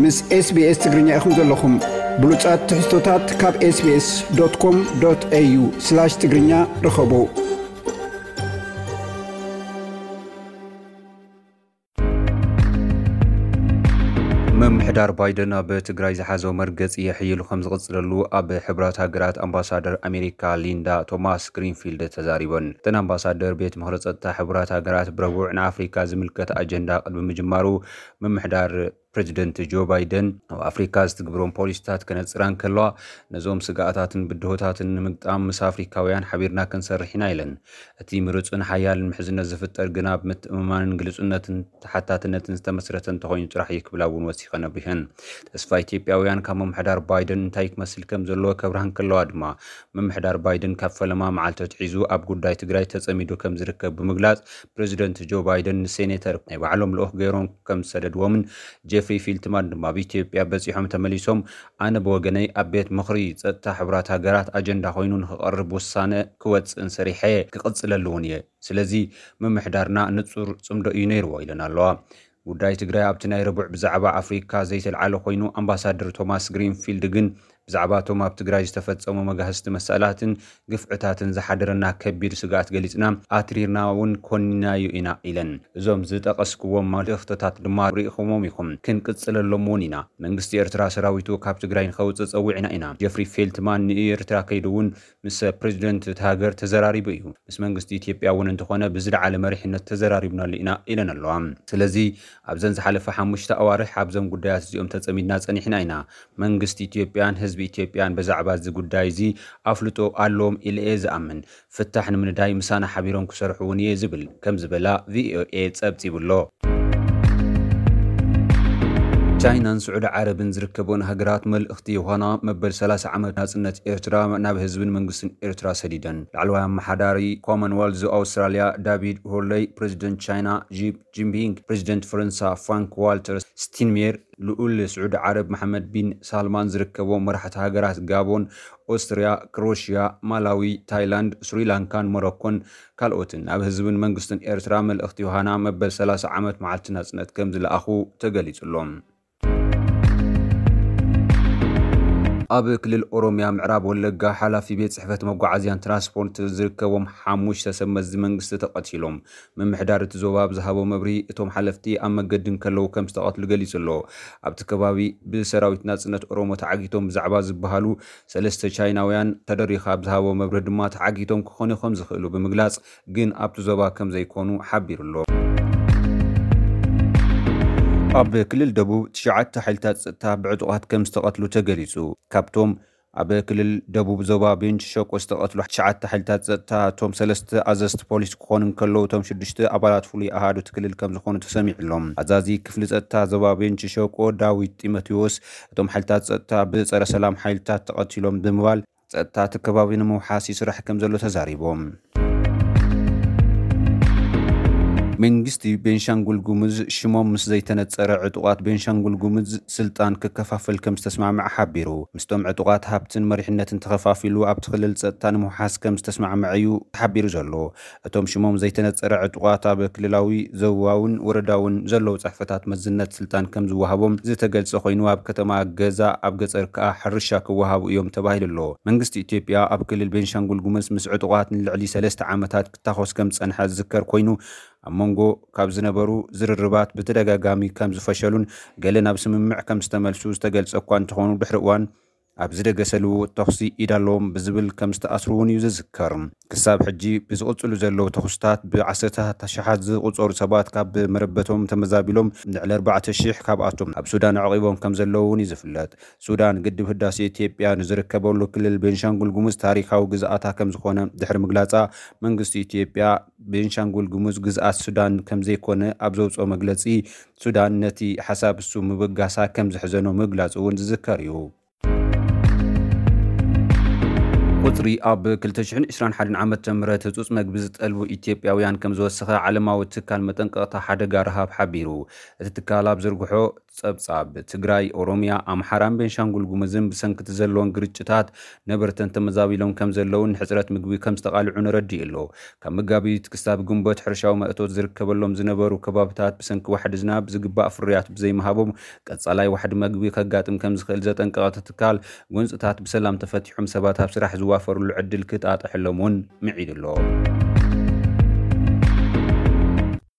ምስ SBS ትግርኛ ኢኹም ዘለኹም። ብሉጻት ትሕዝቶታት ካብ SBS.com.au/ትግርኛ ርኸቡ። ምምሕዳር ባይደን ኣብ ትግራይ ዝሓዞ መርገጺ የሕይሉ ከም ዝቕጽለሉ ኣብ ሕቡራት ሃገራት ኣምባሳደር ኣሜሪካ ሊንዳ ቶማስ ግሪንፊልድ ተዛሪበን። እተን ኣምባሳደር ቤት ምኽሪ ጸጥታ ሕቡራት ሃገራት ብረቡዕ ንኣፍሪካ ዝምልከት ኣጀንዳ ቅድሚ ምጅማሩ ምምሕዳር ፕሬዚደንት ጆ ባይደን ኣብ ኣፍሪካ ዝትግብሮም ፖሊሲታት ከነጽራ እንከለዋ፣ ነዞም ስግኣታትን ብድሆታትን ንምግጣም ምስ ኣፍሪካውያን ሓቢርና ክንሰርሕ ኢና ኢለን። እቲ ምሩጽን ሓያልን ምሕዝነት ዝፍጠር ግና ኣብ ምትእምማንን ግልጹነትን ተሓታትነትን ዝተመስረተ እንተኾይኑ ጥራሕ እዩ ክብላ እውን ወሲኸን ኣብሪሀን። ተስፋ ኢትዮጵያውያን ካብ ምምሕዳር ባይደን እንታይ ክመስል ከም ዘለዎ ከብርሃ እንከለዋ ድማ፣ ምምሕዳር ባይደን ካብ ፈለማ መዓልቲ ኣትሒዙ ኣብ ጉዳይ ትግራይ ተጸሚዱ ከም ዝርከብ ብምግላጽ፣ ፕሬዚደንት ጆ ባይደን ንሴኔተር ናይ ባዕሎም ልኡኽ ገይሮም ከም ዝሰደድዎምን ጄፍሪ ፊልትማን ድማ ኣብ ኢትዮጵያ በጺሖም ተመሊሶም፣ ኣነ ብወገነይ ኣብ ቤት ምኽሪ ጸጥታ ሕቡራት ሃገራት ኣጀንዳ ኮይኑ ንክቐርብ ውሳነ ክወጽእን ሰሪሐ ክቕጽለሉ እውን እየ። ስለዚ ምምሕዳርና ንጹር ጽምዶ እዩ ነይርዎ ኢለን ኣለዋ። ጉዳይ ትግራይ ኣብቲ ናይ ረቡዕ ብዛዕባ ኣፍሪካ ዘይተልዓለ ኮይኑ፣ ኣምባሳደር ቶማስ ግሪንፊልድ ግን ብዛዕባ እቶም ኣብ ትግራይ ዝተፈጸሙ መጋህስቲ መሳእላትን ግፍዕታትን ዝሓደረና ከቢድ ስግኣት ገሊጽና፣ ኣትሪርና እውን ኮኒናዮ ኢና ኢለን። እዞም ዝጠቐስክዎም መልእኽትታት ድማ ርኢኹሞም ኢኹም፣ ክንቅጽለሎም እውን ኢና። መንግስቲ ኤርትራ ሰራዊቱ ካብ ትግራይ ንኸውጽእ ጸዊዕና ኢና። ጀፍሪ ፌልትማን ንኤርትራ ከይዱ እውን ምስ ፕሬዚደንት እቲ ሃገር ተዘራሪቡ እዩ። ምስ መንግስቲ ኢትዮጵያ እውን እንተኾነ ብዝለዓለ መሪሕነት ተዘራሪብናሉ ኢና ኢለን ኣለዋ። ስለዚ ኣብዘን ዝሓለፈ ሓሙሽተ ኣዋርሕ ኣብዞም ጉዳያት እዚኦም ተጸሚድና ጸኒሕና ኢና። መንግስቲ ኢትዮጵያን ህዝቢ ኢትዮጵያን ብዛዕባ እዚ ጉዳይ እዚ ኣፍልጦ ኣለዎም ኢለ እየ ዝኣምን። ፍታሕ ንምንዳይ ምሳና ሓቢሮም ክሰርሑ እውን እየ ዝብል ከም ዝበላ ቪኦኤ ጸብጺቡ ኣሎ። ቻይናን ስዑዲ ዓረብን ዝርከበን ሃገራት መልእኽቲ ዮሃና መበል ሰላሳ ዓመት ናጽነት ኤርትራ ናብ ህዝብን መንግስትን ኤርትራ ሰዲደን። ላዕለዋይ ኣመሓዳሪ ኮመንዌልዝ ኣውስትራልያ ዳቪድ ሆርለይ፣ ፕሬዚደንት ቻይና ጂ ጂንፒንግ፣ ፕሬዚደንት ፈረንሳ ፍራንክ ዋልተር ስቲንሜር፣ ልኡል ስዑዲ ዓረብ መሓመድ ቢን ሳልማን ዝርከቦም መራሕቲ ሃገራት ጋቦን፣ ኦስትርያ፣ ክሮሽያ፣ ማላዊ፣ ታይላንድ፣ ስሪላንካን ሞሮኮን ካልኦትን ናብ ህዝብን መንግስትን ኤርትራ መልእኽቲ ዮሃና መበል ሰላሳ ዓመት መዓልቲ ናጽነት ከም ዝለኣኹ ተገሊጹ ኣሎ። ኣብ ክልል ኦሮሚያ ምዕራብ ወለጋ ሓላፊ ቤት ጽሕፈት መጓዓዝያን ትራንስፖርት ዝርከቦም ሓሙሽተ ሰብ መዚ መንግስቲ ተቐቲሎም። ምምሕዳር እቲ ዞባ ብዝሃቦ መብርሂ፣ እቶም ሓለፍቲ ኣብ መገዲ እንከለዉ ከም ዝተቐትሉ ገሊጹ ኣሎ። ኣብቲ ከባቢ ብሰራዊት ናጽነት ኦሮሞ ተዓጊቶም ብዛዕባ ዝበሃሉ ሰለስተ ቻይናውያን ተደሪኻ ብዝሃቦ መብርሂ ድማ ተዓጊቶም ክኾኑ ከም ዝኽእሉ ብምግላጽ፣ ግን ኣብቲ ዞባ ከም ዘይኮኑ ሓቢሩ ኣሎ። ኣብ ክልል ደቡብ ትሽዓተ ሓይልታት ጸጥታ ብዕጡቓት ከም ዝተቐትሉ ተገሊጹ። ካብቶም ኣብ ክልል ደቡብ ዞባ ቤንች ሸቆ ዝተቐትሉ ትሽዓተ ሓይልታት ጸጥታ፣ እቶም ሰለስተ ኣዘዝቲ ፖሊስ ክኾኑ እንከለዉ፣ እቶም ሽዱሽተ ኣባላት ፍሉይ ኣሃዱ እቲ ክልል ከም ዝኾኑ ተሰሚዑ ኣሎ። ኣዛዚ ክፍሊ ጸጥታ ዞባ ቤንች ሸቆ ዳዊት ጢሞቴዎስ፣ እቶም ሓይልታት ጸጥታ ብጸረ ሰላም ሓይልታት ተቐቲሎም ብምባል፣ ጸጥታ እቲ ከባቢ ንምውሓስ ይስራሕ ከም ዘሎ ተዛሪቦም። መንግስቲ ቤንሻንጉል ጉሙዝ ሽሞም ምስ ዘይተነጸረ ዕጡቓት ቤንሻንጉል ጉሙዝ ስልጣን ክከፋፈል ከም ዝተስማምዐ ሓቢሩ። ምስቶም ዕጡቓት ሃብትን መሪሕነትን ተኸፋፊሉ ኣብቲ ክልል ጸጥታ ንምውሓስ ከም ዝተስማምዐ እዩ ተሓቢሩ ዘሎ። እቶም ሽሞም ዘይተነጸረ ዕጡቓት ኣብ ክልላዊ፣ ዞባውን ወረዳውን ዘለዉ ጽሕፈታት መዝነት ስልጣን ከም ዝወሃቦም ዝተገልጸ ኮይኑ፣ ኣብ ከተማ ገዛ፣ ኣብ ገጸር ከኣ ሕርሻ ክወሃቡ እዮም ተባሂሉ ኣሎ። መንግስቲ ኢትዮጵያ ኣብ ክልል ቤንሻንጉል ጉሙዝ ምስ ዕጡቓት ንልዕሊ ሰለስተ ዓመታት ክታኾስ ከም ዝጸንሐ ዝዝከር ኮይኑ፣ ኣብ መንጎ ካብ ዝነበሩ ዝርርባት ብተደጋጋሚ ከም ዝፈሸሉን ገለ ናብ ስምምዕ ከም ዝተመልሱ ዝተገልጸ እኳ እንተኾኑ፣ ድሕሪ እዋን ኣብ ዝደገሰ ልውውጥ ተኹሲ ኢድ ኣለዎም ብዝብል ከም ዝተኣስሩ እውን እዩ ዝዝከር። ክሳብ ሕጂ ብዝቕጽሉ ዘለዉ ተኹስታት ብዓሰርታት ኣሽሓት ዝቑጸሩ ሰባት ካብ መረበቶም ተመዛቢሎም፣ ልዕሊ ኣርባዕተ ሽሕ ካብኣቶም ኣብ ሱዳን ኣዕቒቦም ከም ዘለዉ እውን እዩ ዝፍለጥ። ሱዳን ግድብ ህዳሴ ኢትዮጵያ ንዝርከበሉ ክልል ቤንሻንጉል ጉሙዝ ታሪኻዊ ግዝኣታ ከም ዝኾነ ድሕሪ ምግላጻ፣ መንግስቲ ኢትዮጵያ ቤንሻንጉል ጉሙዝ ግዝኣት ሱዳን ከም ዘይኮነ ኣብ ዘውጽኦ መግለጺ፣ ሱዳን ነቲ ሓሳብ እሱ ምብጋሳ ከም ዘሕዘኖ ምግላጹ እውን ዝዝከር እዩ። ሚኒስትሪ ኣብ ክልተ ሽሕን ዕስራን ሓደን ዓመተ ምህረት ህጹጽ መግቢ ዝጠልቡ ኢትዮጵያውያን ከም ዝወሰኸ ዓለማዊ ትካል መጠንቀቕታ ሓደጋ ረሃብ ሓቢሩ። እቲ ትካል ኣብ ዘርግሖ ጸብጻብ፣ ትግራይ፣ ኦሮሚያ፣ ኣምሓራን ቤንሻንጉል ጉሙዝን ብሰንኪ እቲ ዘለዎም ግርጭታት ነበርተን ተመዛቢሎም ከም ዘለውን ንሕጽረት ምግቢ ከም ዝተቓልዑን ረዲኡ ኣሎ። ካብ መጋቢት ክሳብ ግንቦት ሕርሻዊ ማእቶት ዝርከበሎም ዝነበሩ ከባብታት ብሰንኪ ዋሕዲ ዝናብ ዝግባእ ፍርያት ብዘይምሃቦም ቀጻላይ ዋሕዲ መግቢ ከጋጥም ከም ዝኽእል ዘጠንቀቐ እቲ ትካል፣ ጎንጽታት ብሰላም ተፈቲሖም ሰባት ኣብ ስራሕ ዝዋፈርሉ ዕድል ክጣጥሐሎም እውን ምዒዱ ኣሎ።